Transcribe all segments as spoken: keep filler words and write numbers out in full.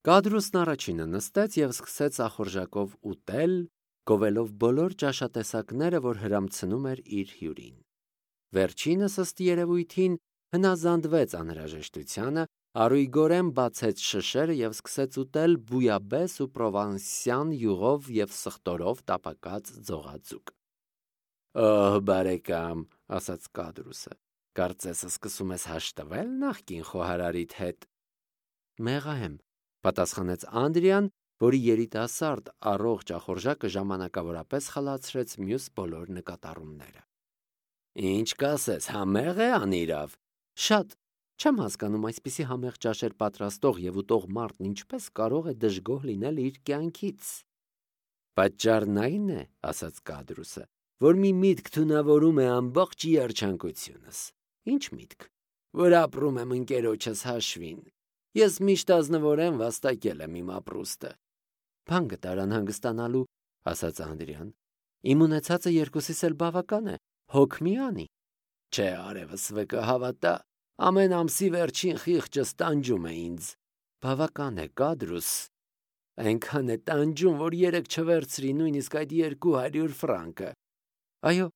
Կադրուսն առաջինը նստեց և սկսեց ախորժակով ուտել, գովելով բոլոր ճաշատեսակները, որ հրամցնում էր իր հյուրին։ Վերջինս ըստ երևույթին հնազանդվեց անհրաժեշտությանը, արույգորեն բացեց շշերը և սկսեց ուտել բույաբես ու պրովանսյան յուղով և սխտորով տապակած ձողաձուկ։ «Օհ, բարեկամ», ասաց Կադրուսը, կարծես սկսում ես հաշտվել նախկին խոհարարիդ հետ։ Մեղա եմ, պատասխանեց Անդրեան, որի երիտասարդ առողջ ախորժակը ժամանակավորապես խլացրեց մյուս բոլոր նկատառումները։ Ինչ կասես, համե՞ղ է անիրավ։ Շատ, չեմ հասկանում այսպիսի համեղ ճաշեր պատրաստող և ուտող մարդն ինչպես կարող է դժգոհ լինել իր կյանքից։ Պատճառն այն է, ասաց Կադրուսը, որ մի միտք թունավորում է ամբողջ երջանկությունս։ Ինչ միտք, որ ապրում եմ ընկերոջս հաշվին։ Ես միշտ ազնվորեն վաստակել եմ իմ ապրուստը։ Բան գտար անհանգստանալու, ասաց Անդրեան։ Իմ ունեցածը երկուսիս էլ բավական է, հոգ մի անի։ Չէ, արևս վկը հավատա, ամեն ամսի վերջին խիղճս տանջում է ինձ։ Բավական է, Կադրուս, այնքան է տանջում, որ երեք չվերցրի նույնիսկ այդ երկու հարյուր ֆրանկը։ Այո,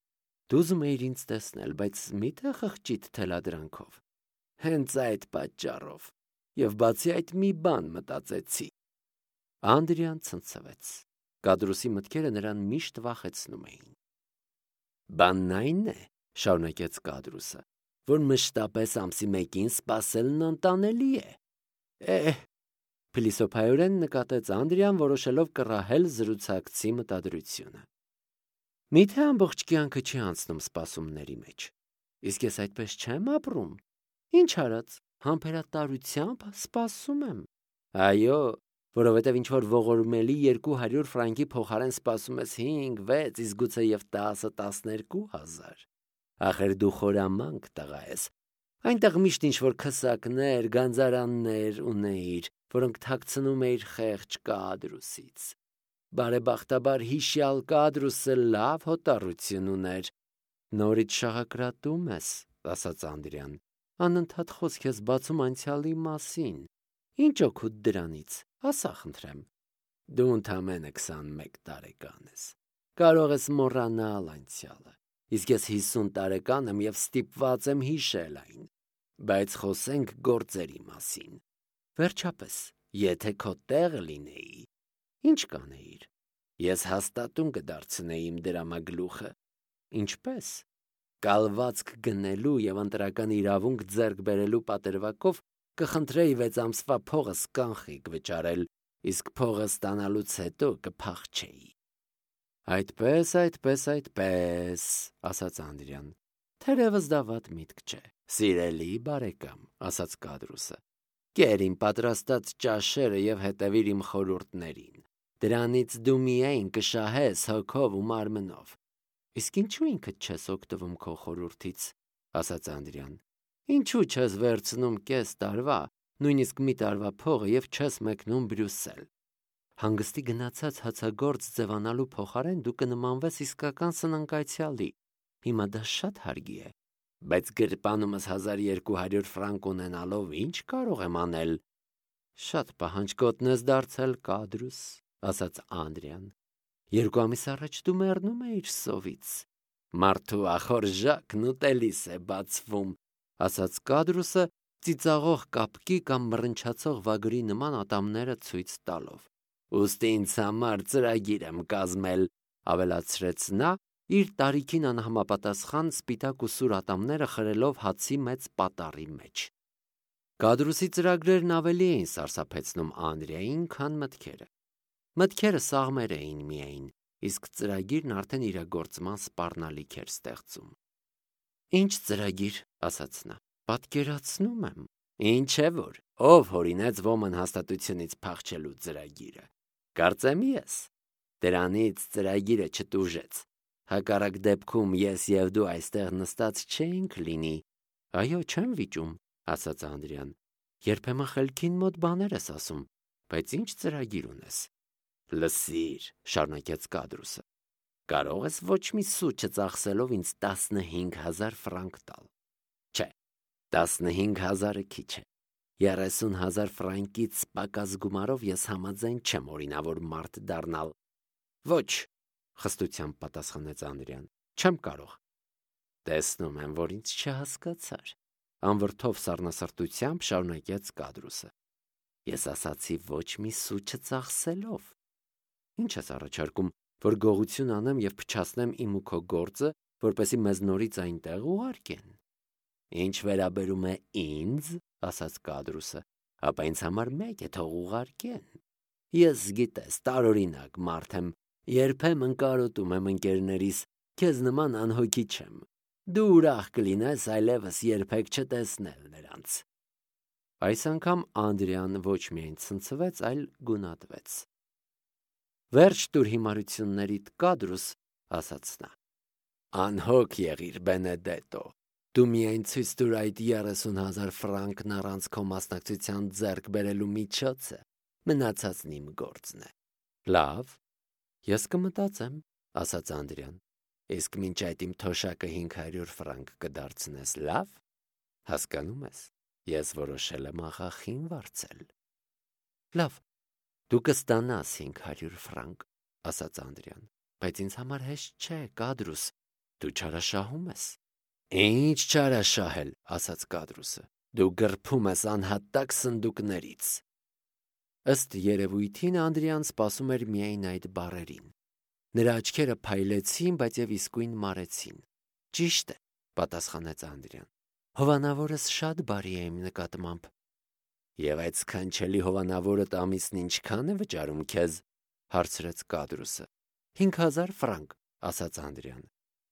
դու ուզում էիր ինձ տեսնել, բայց մի՞թե խղճիդ թելադրանքով։ Հենց այդ պատճառով։ Եվ բացի այդ մի բան մտածեցի։ Անդրեան ցնցվեց։ Կադրուսի մտքերը նրան միշտ վախեցնում էին։ Բանն այն է, շարունակեց Կադրուսը, որ մշտապես ամսի մեկին սպասելն անտանելի է։ Էհ, փիլիսոփայորեն նկատեց Անդրեան, որոշելով կռահել զրուցակցի մտադրությունը։ Միթե ամբողջ կյանքը չի անցնում սպասումների մեջ։ Իսկ ես այդպես չեմ ապրում։ Ինչ արած, համբերատարությամբ սպասում եմ։ Այո, որովհետև ինչ-որ ողորմելի երկու հարյուր ֆրանկի փոխարեն սպասում ես հինգ, վեց, իսկ գուցե և տասը, տասներկու հազար։ Ախր դու խորամանկ տղա ես։ Այնտեղ միշտ ինչ-որ քսակներ, գանձարաններ ունեիր, որոնք թաքցնում էիր խեղճ Կադրուսից։ Բարեբախտաբար հիշյալ Կադրուսը լավ հոտառություն ուներ։ Նորից շաղակրատում ես, ասաց Անդրեան, անընդհատ խոսք ես բացում անցյալի մասին։ Ինչ օգուտ դրանից, ասա խնդրեմ։ Դու ընդամենը քսանմեկ տարեկան ես, կարող ես մոռանալ անցյալը, իսկ ես հիսուն տարեկան եմ և ստիպված եմ հիշել այն, բայց խոսենք գործերի մասին։ Վերջապես, եթե քո տեղը լինեի, ինչ կանեիր։ Ես հաստատուն կդարձնեի իմ դրամագլուխը։ Ինչպես։ Կալվածք գնելու և ընտրական իրավունք ձեռք բերելու պատրվակով կխնդրեի վեց ամսվա փողս կանխիկ վճարել, իսկ փողը ստանալուց հետո կփախչեի։ Այդպես, այդպես, այդպես, ասաց Անդրեան։ Թերևս դա վատ միտք չէ։ Սիրելի բարեկամ, ասաց Կադրուսը, կեր իմ պատրաստած ճաշերը և հետևիր իմ խորհուրդներին։ Դրանից դու միայն կշահես հոգով ու մարմնով։ Իսկ ինչու ինքդ չես օգտվում քո խորհրդից, ասաց Անդրեան։ Ինչու չես վերցնում կես տարվա, նույնիսկ մի տարվա փողը և չես մեկնում Բրյուսել։ Հանգստի գնացած հացագործ ձևանալու փոխարեն դու կնմանվես իսկական սնանկացյալի։ Հիմա դա շատ հարգի է։ Բայց գրպանումս հազար երկու հարյուր ֆրանկ ունենալով ինչ կարող եմ անել։ Շատ պահանջկոտն ես դարձել, Կադրուս, ասաց Անդրեան։ Երկու ամիս առաջ դու մեռնում էիր սովից։ Մարդու ախորժակն ուտելիս է բացվում, ասաց Կադրուսը, ծիծաղող կապկի կամ մռնչացող վագրի նման ատամները ցույց տալով։ Ուստի ինձ համար ծրագիր եմ կազմել, ավելացրեց նա, իր տարիքին անհամապատասխան սպիտակ ու սուր ատամները խրելով հացի մեծ պատառի մեջ։ Կադրուսի ծրագրերն ավելի էին սարսափեցնում Անդրեային, քան մտքերը։ Մտքերը սաղմեր էին միայն, իսկ ծրագիրն արդեն իրագործման սպառնալիք էր ստեղծում։ Ինչ ծրագիր, ասաց նա, պատկերացնում եմ։ Ինչ է որ, ով հորինեց ոմն հաստատությունից փախչելու ծրագիրը։ Կարծեմ ես։ Դրանից ծրագիրը չտուժեց։ Հակառակ դեպքում ես և դու այստեղ նստած չէինք լինի։ Այո, չեմ վիճում, ասաց Անդրեան։ Երբեմն խելքին մոտ բաներ ես ասում, բայց ինչ ծրագիր ունես։ Լսիր, շարունակեց Կադրուսը, կարող ես ոչ մի սու չծախսելով ինձ տասնհինգ հազար ֆրանկ տալ։ Չէ, տասնհինգ հազարը քիչ է։ երեսուն հազար ֆրանկից պակաս գումարով ես համաձայն չեմ օրինավոր մարդ դառնալ։ Ոչ, խստությամբ պատասխանեց Անդրեան, չեմ կարող։ Տեսնում եմ, որ ինձ չհասկացար, անվրդով սառնասրտությամբ շարունակեց Կադրուսը։ Ես ասացի ոչ մի սու չծախսելով։ Ինչ ես առաջարկում, որ գողություն անեմ եւ փչացնեմ իմ ու քո գործը, որպեսզի մեզ նորից այնտեղ ուղարկեն։ Ինչ վերաբերում է ինձ, ասաց Կադրուսը, ապա ինձ համար մեկ է, թող ուղարկեն։ Ես գիտես, տարօրինակ մարդ եմ, երբեմն կարոտում եմ ընկերներիս, քեզ նման անհոգի չեմ։ Դու ուրախ կլինես այլևս երբեք չտեսնել նրանց։ Այս անգամ Անդրեան ոչ միայն ցնցվեց, այլ գունատվեց։ Վերջ տուր հիմարություններիդ, Կադրուս, ասաց նա։ Անհոգ եղիր, Բենեդետո։ Դու միայն ցույց տուր այդ երեսուն հազար ֆրանկն առանց քո մասնակցության ձեռք բերելու միջոցը, մնացածն իմ գործն է։ Լավ, ես կմտածեմ, ասաց Անդրեան։ Իսկ մինչ այդ իմ թոշակը հինգ հարյուր ֆրանկ կդարձնես, լավ։ Հասկանում ես, ես որոշել եմ աղախին վարձել։ Լավ, դու կստանաս հինգ հարյուր ֆրանկ, ասաց Անդրեան, բայց ինձ համար հեշտ չէ, Կադրուս, դու չարաշահում ես։ Ինչ չարաշահել, ասաց Կադրուսը, դու գրփում ես անհատակ սնդուկներից։ Ըստ երևույթին Անդրեան սպասում էր միայն այդ բառերին։ Նրա աչքերը փայլեցին, բայց եւ իսկույն մարեցին։ Ճիշտ է, պատասխանեց Անդրեան։ Հովանավորս շատ բարի է իմ նկատմամբ։ Եվ այդ սքանչելի հովանավորդ ամիսն ինչքան է վճարում քեզ, հարցրեց Կադրուսը։ Հինգ հազար ֆրանկ, ասաց Անդրեան։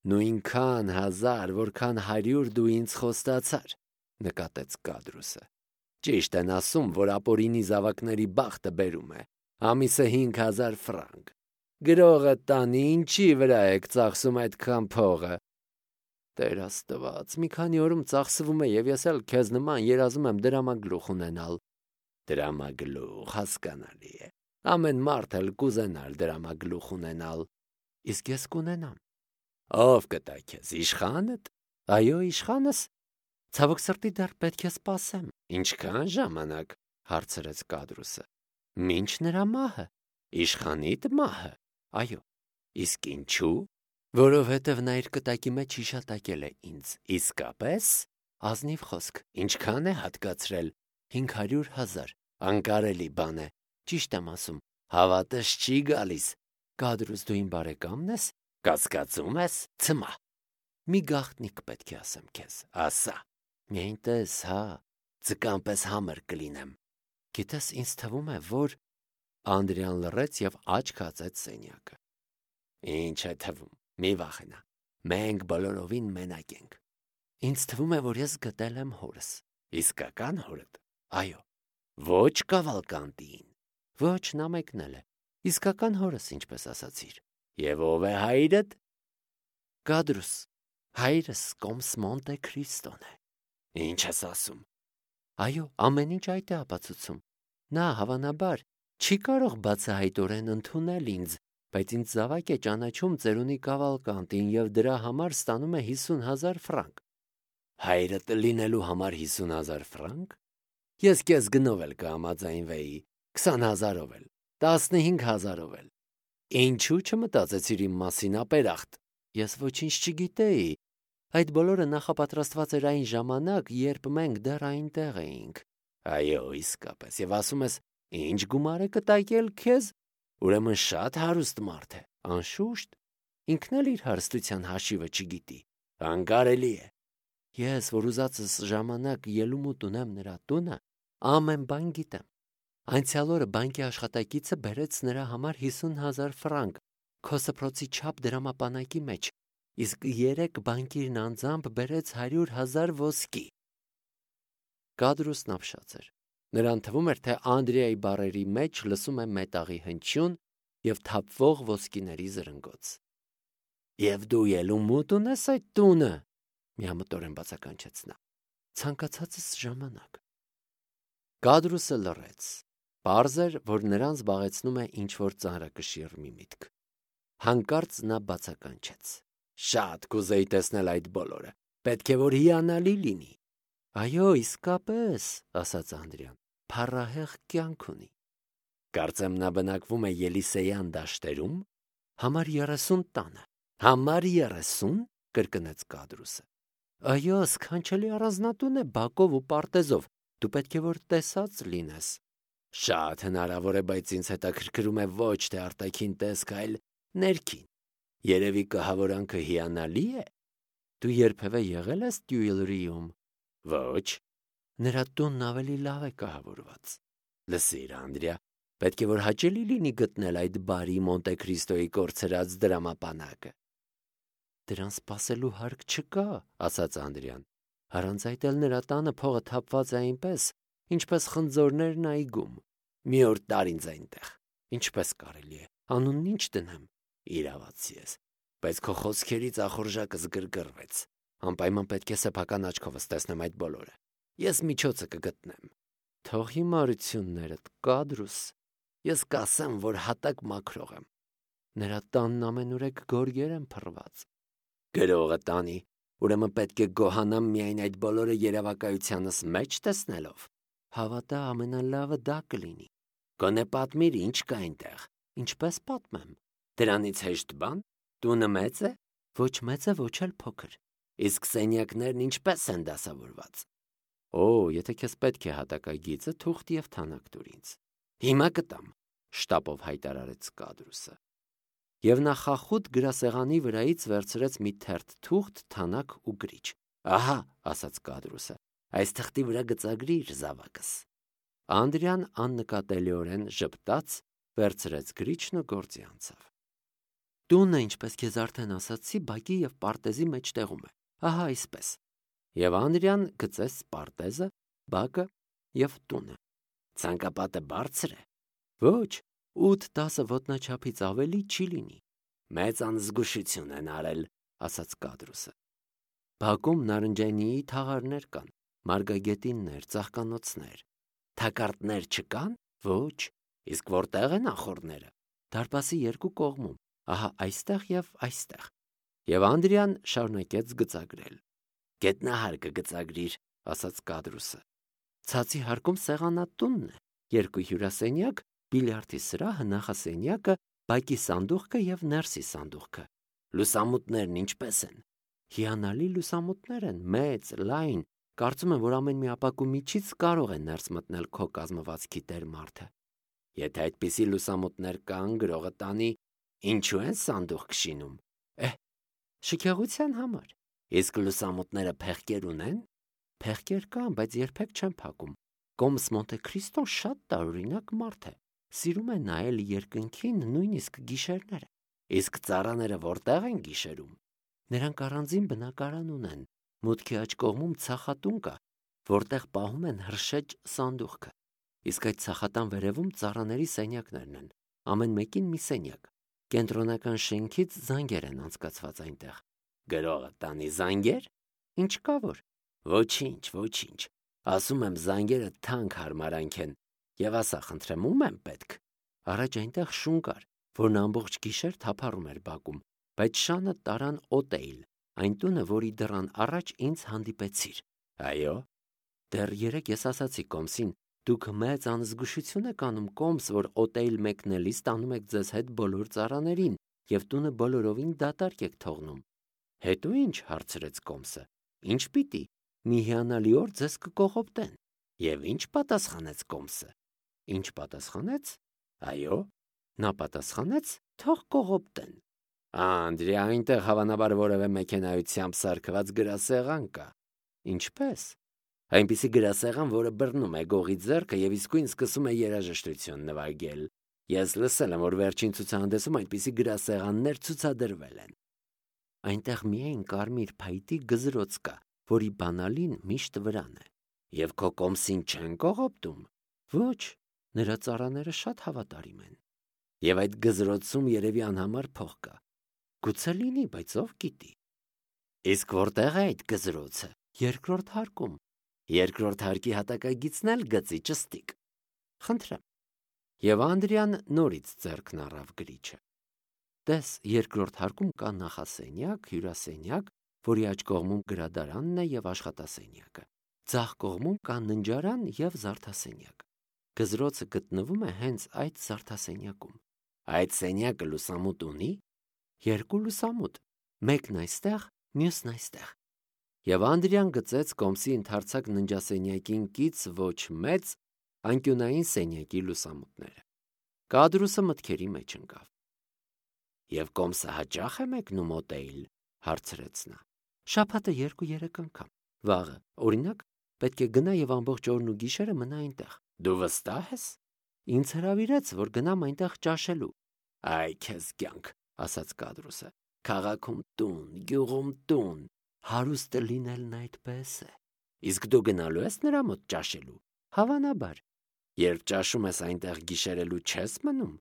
Նույնքան հազար, որքան հարյուր դու ինձ խոստացար, նկատեց Կադրուսը։ Ճիշտ են ասում, որ ապօրինի զավակների բախտը բերում է։ Ամիսը հինգ հազար ֆրանկ։ Գրողը տանի, ինչի վրա եք ծախսում այդքան փողը։ Տեր Աստված, մի քանի օրում ծախսվում է եւ ես էլ քեզ նման երազում եմ դրամագլուխ ունենալ։ Դրամագլուխ, հասկանալի է։ Ամեն մարդ էլ կուզենալ դրամագլուխ ունենալ։ Իսկ ես կունենամ։ Ով կտա քեզ, իշխանդ։ Այո, իշխանս։ Ցավոք սրտի դեռ պետք է սպասեմ։ Ինչքան ժամանակ, հարցրեց Կադրուսը։ Մինչ նրա մահը, իշխանիդ մահը։ Այո, իսկ ինչու։ Որովհետև նա իր կտակի մեջ հիշատակել է ինձ։ Իսկապես, ազնիվ խոսք, ինչքան է հատկացրել։ հինգ հարյուր հազար, անկարելի բան է։ Ճիշտ եմ ասում, հավատս չի գալիս։ Կադրուս, դու իմ բարեկամն ես, կասկածում ես, ցմա։ Մի գաղտնիք պետք է ասեմ քեզ, ասա։ Միայն տես, հա, ձկան պես համր կլինեմ։ Գիտես, ինձ թվում է, որ Անդրեան լռեց եւ աչք հացեց սենյակը։ Ինչ է թվում, մի վախենա, մենք բոլորովին մենակ ենք։ Ինձ թվում է, որ ես գտել եմ հորս։ Իսկական հորդ։ Այո։ Ոչ Կավալկանտին։ Ոչ, նա մեկնել է։ Իսկական հորս, ինչպես ասացիր։ Եվ ով է հայրդ։ Կադրուս, հայրս Կոմս Մոնտե Քրիստոն է։ Ինչ ես ասում։ Այո, ամեն ինչ այդ է ապացուցում։ Նա հավանաբար չի կարող բացահայտորեն ընդունել ինձ, բայց ինձ զավակ է ճանաչում ծերունի Կավալկանտին եւ դրա համար ստանում է հիսուն հազար ֆրանկ։ Հայրդ լինելու համար հիսուն հազար ֆրանկ։ Ես քեզ գնով էլ կհամաձայնվեի, քսան հազարով էլ, տասնհինգ հազարով էլ։ Ինչու չմտածեցիր իմ մասին, ապերախտ։ Ես ոչինչ չգիտեի։ Այդ բոլորը նախապատրաստված էր այն ժամանակ, երբ մենք դեռ այնտեղ էինք։ Այո, իսկապես, եւ ասում ես, ինչ գումար է կտակել քեզ։ Ուրեմն շատ հարուստ մարդ է, անշուշտ։ Ինքն էլ իր հարստության հաշիվը չգիտի։ Անկարելի է։ Ես, որ ուզածս ժամանակ ելումուտ ունեմ նրա տունը, ամեն բան գիտեմ։ Անցյալ օրը բանկի աշխատակիցը բերեց նրա համար հիսուն հազար ֆրանկ, քո սփռոցի չափ դրամապանակի մեջ, իսկ երեք բանկիրն անձամբ բերեց հարյուր հազար ոսկի։ Կադրուսն ապշած էր։ Նրան թվում էր, թե Անդրեայի բառերի մեջ լսում է մետաղի հնչյուն եւ թափվող ոսկիների զրնգոց։ Եվ դու ելումուտ ունես այդ տունը, միամտորեն բացականչեց նա։ Ցանկացածս ժամանակ։ Կադրուսը լռեց։ Պարզ էր, որ նրան զբաղեցնում է ինչ-որ ծանրակշիռ մի միտք։ Հանկարծ նա բացականչեց. Շատ կուզեի տեսնել այդ բոլորը։ Պետք է որ հիանալի լինի։ Այո, իսկապես, ասաց Անդրեան, փառահեղ կյանք ունի։ Կարծեմ նա բնակվում է Ելիսեյան դաշտերում, համար երեսուն տանը։ Համար երեսուն, կրկնեց Կադրուսը։ Այո, սքանչելի առանձնատուն է բակով ու պարտեզով, դու պետք է որ տեսած լինես։ Շատ հնարավոր է, բայց ինձ հետաքրքրում է ոչ թե արտաքին տեսք, այլ ներքին։ Երևի կահավորանքը հիանալի է։ Դու երբևէ եղել ես Տյուիլրիում։ Ոչ։ Նրա տունն ավելի լավ է կահավորված։ Լսիր, Անդրեա, պետք է որ հաճելի լինի գտնել այդ բարի Մոնտե Քրիստոյի կորցրած դրամապանակը։ Դրան սպասելու հարկ չկա, ասաց Անդրեան։ Առանց այդ էլ նրա տանը փողը թափված է այնպես, ինչպես խնձորներն այգում։ Մի օր տար ինձ այնտեղ։ Ինչպես կարելի է, անունն ինչ դնեմ։ Իրավացի ես, բայց քո խոսքերից ախորժակս գրգռվեց։ Անպայման պետք է սեփական աչքովս տեսնեմ այդ բոլորը։ Ես միջոցը կգտնեմ։ Թող հիմարություններդ, Կադրուս։ Ես կասեմ, որ հատակ մաքրող եմ։ Նրա տանն ամենուրեք գորգեր են փռված։ Գրողը տանի, ուրեմն պետք է գոհանամ միայն այդ բոլորը երևակայությանս մեջ տեսնելով։ Հավատա, ամենալավը դա կլինի։ Գոնե պատմիր, ինչ կա այնտեղ։ Ինչպես պատմեմ։ Դրանից հեշտ բան։ Տունը մեծ է։ Ոչ մեծ է, ոչ էլ փոքր։ Իսկ սենյակներն ինչպես են դասավորված։ Օ, եթե քեզ պետք է հատակագիծը, թուղթ եւ թանակ տուր ինձ։ Հիմա կտամ, շտապով հայտարարեց Կադրուսը։ Եվ նա խախուտ գրասեղանի վրայից վերցրեց մի թերթ թուղթ, թանակ ու գրիչ։ Ահա, ասաց Կադրուսը, այս թղթի վրա գծագրիր զավակս։ Անդրեան աննկատելիորեն ժպտաց, վերցրեց գրիչն ու գործի անցավ։ Տունը, ինչպես քեզ արդեն ասացի, բակի եւ պարտեզի մեջտեղում է։ Ահա այսպես։ Եվ Անդրեան գծեց պարտեզը, բակը եւ տունը։ Ցանկապատը բարձր է։ Ոչ, ութ-տասը ոտնաչափից ավելի չի լինի։ Մեծ անզգուշություն են արել, ասաց Կադրուսը։ Բակում նարնջայինի թաղարներ կան, մարգագետիններ, ծաղկանոցներ։ Թակարդներ չկան։ Ոչ, իսկ որտեղ են ախոռները։ Դարպասի երկու կողմում, ահա այստեղ եւ այստեղ։ Եվ Անդրեան շարունակեց գծագրել։ Գետնահարկը գծագրիր, ասաց Կադրուսը։ Ցածի հարկում սեղանատունն է, երկու հյուրասենյակ, բիլիարդի սրահը, նախասենյակը, բակի սանդուղքը եւ ներսի սանդուղքը։ Լուսամուտներն ինչպես են։ Հիանալի լուսամուտներ են, մեծ, լայն։ Կարծում եմ, որ ամեն մի ապակու միջից կարող է ներս մտնել քո կազմվածքի տեր մարդը։ Եթե այդպիսի լուսամուտներ կան, գրողը տանի, ինչու են սանդուղք քշինում։ Էհ, շքեղության համար։ Իսկ լուսամուտները փեղկեր ունեն։ Փեղկեր կան, բայց երբեք չեն փակում։ Կոմս Մոնտե Քրիստոն շատ տարօրինակ մարդ է։ Սիրում է նայել երկնքին նույնիսկ գիշերները։ Իսկ ծառաները որտեղ են գիշերում։ Նրանք առանձին բնակարան ունեն։ Մուտքի աջ կողմում ցախատուն կա, որտեղ պահում են հրշեջ սանդուղքը։ Իսկ այդ ցախատան վերևում ծառաների սենյակներն են։ Ամեն մեկին մի սենյակ։ Կենտրոնական շենքից զանգեր են անցկացված այնտեղ։ Գրողը տանի զանգեր։ Ինչ կա որ։ Ոչինչ, ոչինչ։ Ասում եմ, զանգերը թանկ հարմարանք են։ Եվ ասա, խնդրեմ, ում եմ պետք։ Առաջ այնտեղ շուն կար, որն ամբողջ գիշեր թափառում էր բակում, բայց շանը տարան օտեյլ, այն տունը, որի դռան առաջ ինձ հանդիպեցիր։ Այո։ Դեռ երեք ես ասացի Կոմսին, դուք մեծ անզգուշություն եք անում, Կոմս, որ օտեյլ մեկնելիս տանում եք ձեզ հետ բոլոր ծառաներին եւ տունը բոլորովին դատարկ եք թողնում։ Հետո ինչ, հարցրեց Կոմսը։ Ինչ պիտի։ Մի հիանալի օր ձեզ կկողոպտեն։ Եվ ինչ պատասխանեց Կոմսը։ Ինչ պատասխանեց։ Այո։ Նա պատասխանեց, թող կողոպտեն։ Անդրեա, այնտեղ հավանաբար որևէ մեքենայությամբ սարքված գրասեղան կա։ Ինչպես։ Այնպիսի գրասեղան, որը բռնում է գողի ձեռքը եւ իսկույն սկսում է երաժշտություն նվագել։ Ես լսել եմ, որ վերջին ցուցահանդեսում այնպիսի գրասեղաններ ցուցադրվել են։ Այնտեղ միայն կարմիր փայտի գզրոց կա, որի բանալին միշտ վրան է։ Եվ քո Կոմսին չեն կողոպտում։ Ոչ, նրա ծառաները շատ հավատարիմ են։ Եվ այդ գզրոցում երևի անհամար փող կա։ Գուցե լինի, բայց ով գիտի։ Իսկ որտեղ է այդ գզրոցը։ Երկրորդ հարկում։ Երկրորդ հարկի հատակագիծն էլ գծի ճստիկ։ Խնդրեմ։ Եվ Անդրեան նորից ձեռքն առավ գրիչը։ Տես, երկրորդ հարկում կա նախասենյակ, հյուրասենյակ, որի աջ կողմում գրադարանն է եւ աշխատասենյակը։ Ձախ կողմում կա ննջարան և զարդասենյակ։ Գզրոցը գտնվում է հենց այդ զարդասենյակում։ Այդ սենյակը լուսամուտ ունի։ Երկու լուսամուտ, մեկն այստեղ, մյուսն այստեղ։ Եվ Անդրեան գծեց կոմսի ընդարձակ ննջասենյակին կից ոչ մեծ անկյունային սենյակի լուսամուտները։ Կադրուսը մտքերի մեջ ընկավ։ Եվ կոմսը հաճախ է մեկնում օտեյլ, հարցրեց նա։ Շաբաթը երկու-երեք անգամ։ Վաղը, օրինակ, պետք է գնա եւ ամբողջ օրն ու գիշերը մնա այնտեղ։ Դու վստահ ես։ Ինձ հրավիրեց, որ գնամ այնտեղ ճաշելու։ Այ քեզ կյանք, ասաց Կադրուսը։ Քաղաքում տուն, գյուղում տուն, հարուստը լինելն այդպես է։ Իսկ դու գնալու ես նրա մոտ ճաշելու։ Հավանաբար։ Երբ ճաշում ես այնտեղ գիշերելու չես մնում։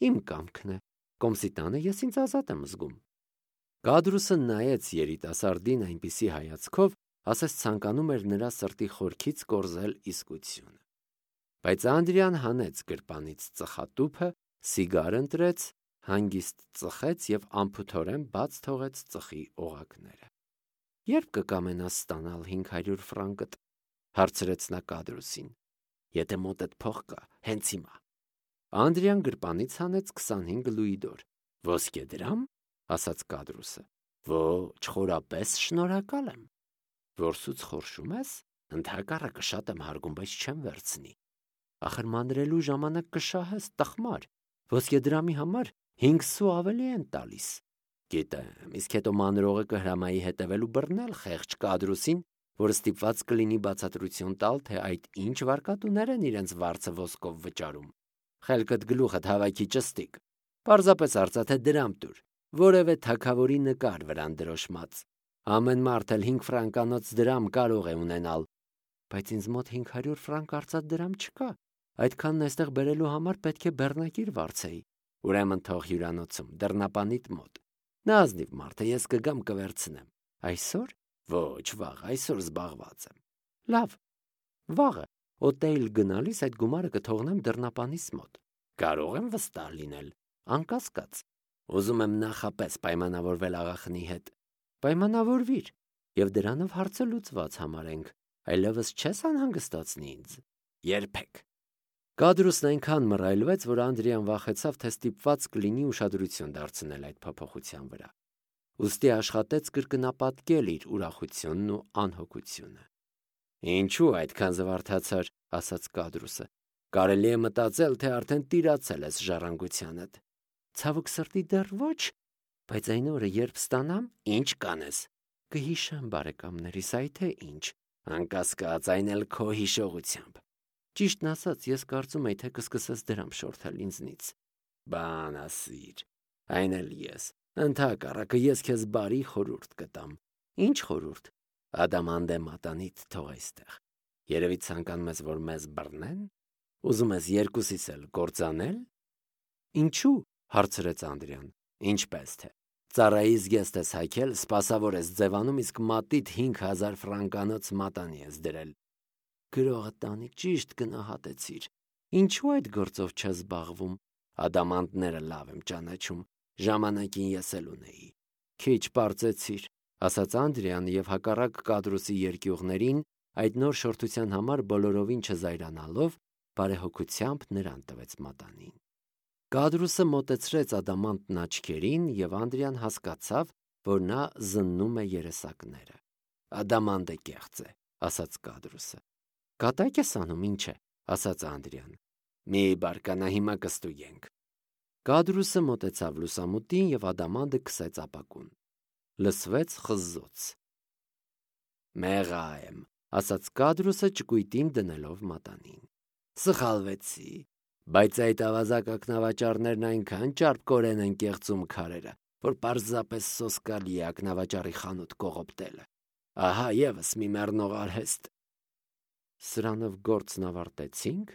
Իմ կամքն է։ Կոմսի տանը ես ինձ ազատ եմ զգում։ Կադրուսը նայեց երիտասարդին այնպիսի հայացքով, ասես ցանկանում էր նրա սրտի խորքից կորզել իսկությունը։ Բայց Անդրեան հանեց գրպանից ծխատուփը, սիգար ընտրեց, հանգիստ ծխեց եւ անփութորեն բաց թողեց ծխի օղակները։ Երբ կկամենաս ստանալ հինգ հարյուր ֆրանկդ, հարցրեց նա Կադրուսին։ Եթե մոտդ փող կա, հենց հիմա։ Անդրեան գրպանից հանեց քսանհինգ լուիդոր։ Ոսկե դրամ, ասաց Կադրուսը։ Ոչ, խորապես շնորհակալ եմ։ Որսուց խորշում ես, ընդհակառակը շատ եմ հարգում, բայց չեմ վերցնի։ Ախր մանրելու ժամանակ կշահես, տխմար։ Ոսկե դրամի համար հինգ սու ավելի են տալիս։ Գիտեմ, իսկ հետո մանրողը կհրամայի հետևել ու բռնել խեղճ Կադրուսին, որ ստիպված կլինի բացատրություն տալ, թե այդ ինչ վարկատուներ են իրենց վարձը ոսկով վճարում։ Խելքդ գլուխդ հավաքի ճստիկ։ Պարզապես արծաթե դրամ տուր, որևէ թագավորի նկար վրան դրոշմած։ Ամեն մարդ էլ հինգ ֆրանկանոց դրամ կարող է ունենալ, բայց ինձ մոտ հինգ հարյուր ֆրանկ արծաթ դրամ չկա։ Այդքանն այստեղ բերելու համար պետք է բեռնակիր վարձեի։ Ուրեմն թող հյուրանոցում, դռնապանիդ մոտ։ Նա ազնիվ մարդ է, ես կգամ կվերցնեմ։ Այսօր։ Ոչ, վաղ, այսօր զբաղված եմ։ Լավ, վաղը օտեյլ գնալիս այդ գումարը կթողնեմ դռնապանիս մոտ։ Կարող եմ վստահ լինել, անկասկած։ Ուզում եմ նախապես պայմանավորվել աղախնի հետ։ Պայմանավորվիր, եւ դրանով հարցը լուծված համարենք, այլևս չես անհանգստացնի ինձ։ Երբեք։ Կադրուսն այնքան մռայլվեց, որ Անդրեան վախեցավ, թե ստիպված կլինի ուշադրություն դարձնել այդ փոփոխության վրա։ Ուստի աշխատեց կրկնապատկել իր ուրախությունն ու անհոգությունը։ Ինչու այդքան զվարթացար, ասաց Կադրուսը։ Կարելի է մտածել, թե արդեն տիրացել ես ժառանգությանդ։ Ցավոք սրտի դեռ ոչ, բայց այն օրը, երբ ստանամ, ինչ կանես։ Կհիշեմ բարեկամներիս, այ թե ինչ, անկասկած, այն էլ քո հիշողությամբ։ Ճիշտն ասած, ես կարծում եի, թե կսկսես դրամ շորթել ինձնից։ Բան ասիր, այն էլ ես։ Ընդհակառակը ես քեզ բարի խորհուրդ կտամ։ Ինչ խորհուրդ։ Ադամանդե մատանիդ թող այստեղ։ Երևի ցանկանում ես, որ մեզ բռնեն։ Ուզում ես երկուսիս էլ կործանել։ Ինչու՞, հարցրեց Անդրեան։ Ինչպես թե։ Ծառայից գեստ ես հայքել, սպասավոր ես ձևանում, իսկ մատիդ հինգ հազար ֆրանկանոց մատանի ես դրել։ Գրողը տանի ճիշտ գնահատեցիր։ Ինչու այդ գործով չես զբաղվում։ Ադամանդները լավ եմ ճանաչում, ժամանակին ես էլ ունեի։ Քիչ պարծեցիր, ասաց Անդրեան եւ հակառակ Կադրուսի երկյուղներին այդ նոր շորթության համար բոլորովին չզայրանալով բարեհոգությամբ նրան տվեց մատանին։ Կադրուսը մոտեցրեց ադամանտն աչքերին եւ Անդրեան հասկացավ, որ նա զննում է երեսակները։ Ադամանդը կեղծ է, ասաց Կադրուսը։ Կատակ ես անում, ինչ է, ասաց Անդրեան։ Մի բարկանա, հիմա կստուգենք։ Կադրուսը մոտեցավ լուսամուտին եւ ադամանդը քսեց ապակուն։ Լսվեց խզզոց։ Մեղա եմ, ասաց Կադրուսը ճկույտին դնելով մատանին։ Սխալվեցի, բայց այդ ավազակ ակնավաճառներն այնքան ճարպկորեն են կեղծում քարերը, որ պարզապես սոսկալի է ակնավաճառի խանութ կողոպտելը։ Ահա եւս մի մեռնող արհեստ։ Սրանով գործն ավարտեցինք,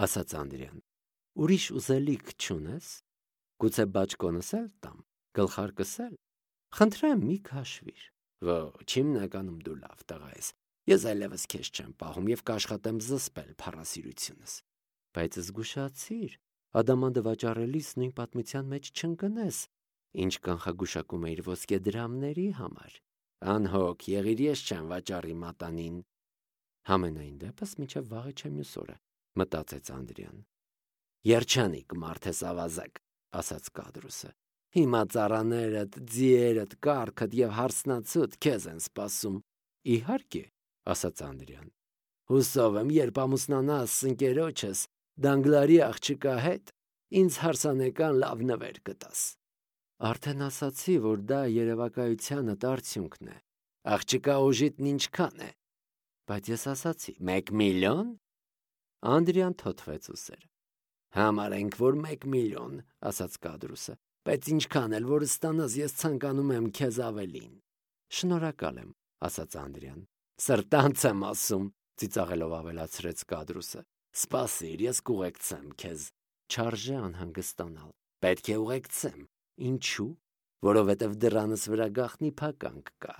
ասաց Անդրեան։ Ուրիշ ուզելիք չունես։ Գուցե բաճկոնս էլ տամ, գլխարկս էլ։ Խնդրեմ, մի քաշվիր։ Ոչ, հիմնականում դու լավ տղա ես։ Ես այլևս քեզ չեմ պահում եւ կաշխատեմ զսպել փառասիրությունս։ Բայց զգուշացիր, ադամանդը վաճառելիս նույն պատմության մեջ չընկնես, ինչ կանխագուշակում էիր ոսկե դրամների համար։ Անհոգ եղիր, ես չեմ վաճառի մատանին։ Համենայն դեպս մինչև վաղը չէ մյուս օրը, մտածեց Անդրեան։ Երջանիկ մարդ ես ավազակ, ասաց Կադրուսը։ Հիմա ծառաներդ, ձիերդ, կառքդ եւ հարսնացուդ քեզ են սպասում։ Իհարկե, ասաց Անդրեան։ Հուսով եմ, երբ ամուսնանաս ընկերոջս Դանգլարի աղջկա հետ, ինձ հարսանեկան լավ նվեր կտաս։ Արդեն ասացի, որ դա երևակայությանդ արդյունքն է։ Աղջկա ուժիտն ինչքան է։ Բայց ես ասացի, մեկ միլիոն։ Անդրեան թոթվեց ուսերը։ Համարենք, որ մեկ միլիոն, ասաց Կադրուսը, բայց ինչքան էլ որ ստանաս, ես ցանկանում եմ քեզ ավելին։ Շնորհակալ եմ, ասաց Անդրեան։ Սրտանց եմ ասում, ծիծաղելով ավելացրեց Կադրուսը։ Սպասիր, ես կուղեկցեմ քեզ։ Չարժե անհանգստանալ։ Պետք է ուղեկցեմ։ Ինչու՞։ Որովհետև դրանս վրա գաղտնի փականք կա։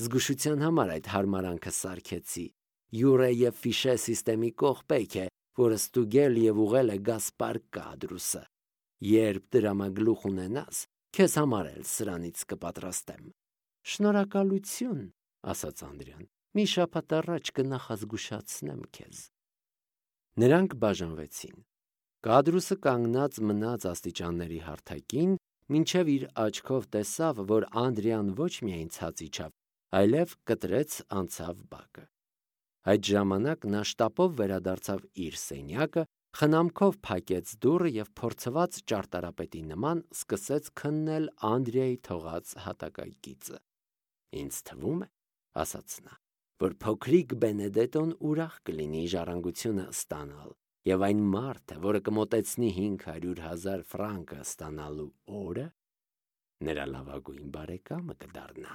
Զգուշության համար այդ հարմարանքը սարքեցի։ Յուրե եւ ֆիշե սիստեմի կողպեկ է, որը ստուգել եւ ուղղել է Գասպար Կադրուսը։ Երբ դրամագլուխ ունենաս, քեզ համար էլ սրանից կպատրաստեմ։ Շնորհակալություն, ասաց Անդրեան։ Մի շաբաթ առաջ կնախազգուշացնեմ քեզ։ Նրանք բաժանվեցին։ Կադրուսը կանգնած մնաց աստիճանների հարթակին, մինչև իր աչքով տեսավ, որ Անդրեան ոչ միայն ցած իջավ, այլև կտրեց անցավ բակը։ Այդ ժամանակ նա շտապով վերադարձավ իր սենյակը, խնամքով փակեց դուռը եւ փորձված ճարտարապետի նման սկսեց քննել Անդրեայի թողած հատակագիծը։ Ինձ թվում է, ասաց նա, որ փոքրիկ Բենեդետոն ուրախ կլինի ժառանգությունը ստանալ, եւ այն մարդը, որը կմոտեցնի հինգ հարյուր հազար ֆրանկը ստանալու օրը, նրա լավագույն բարեկամը կդառնա։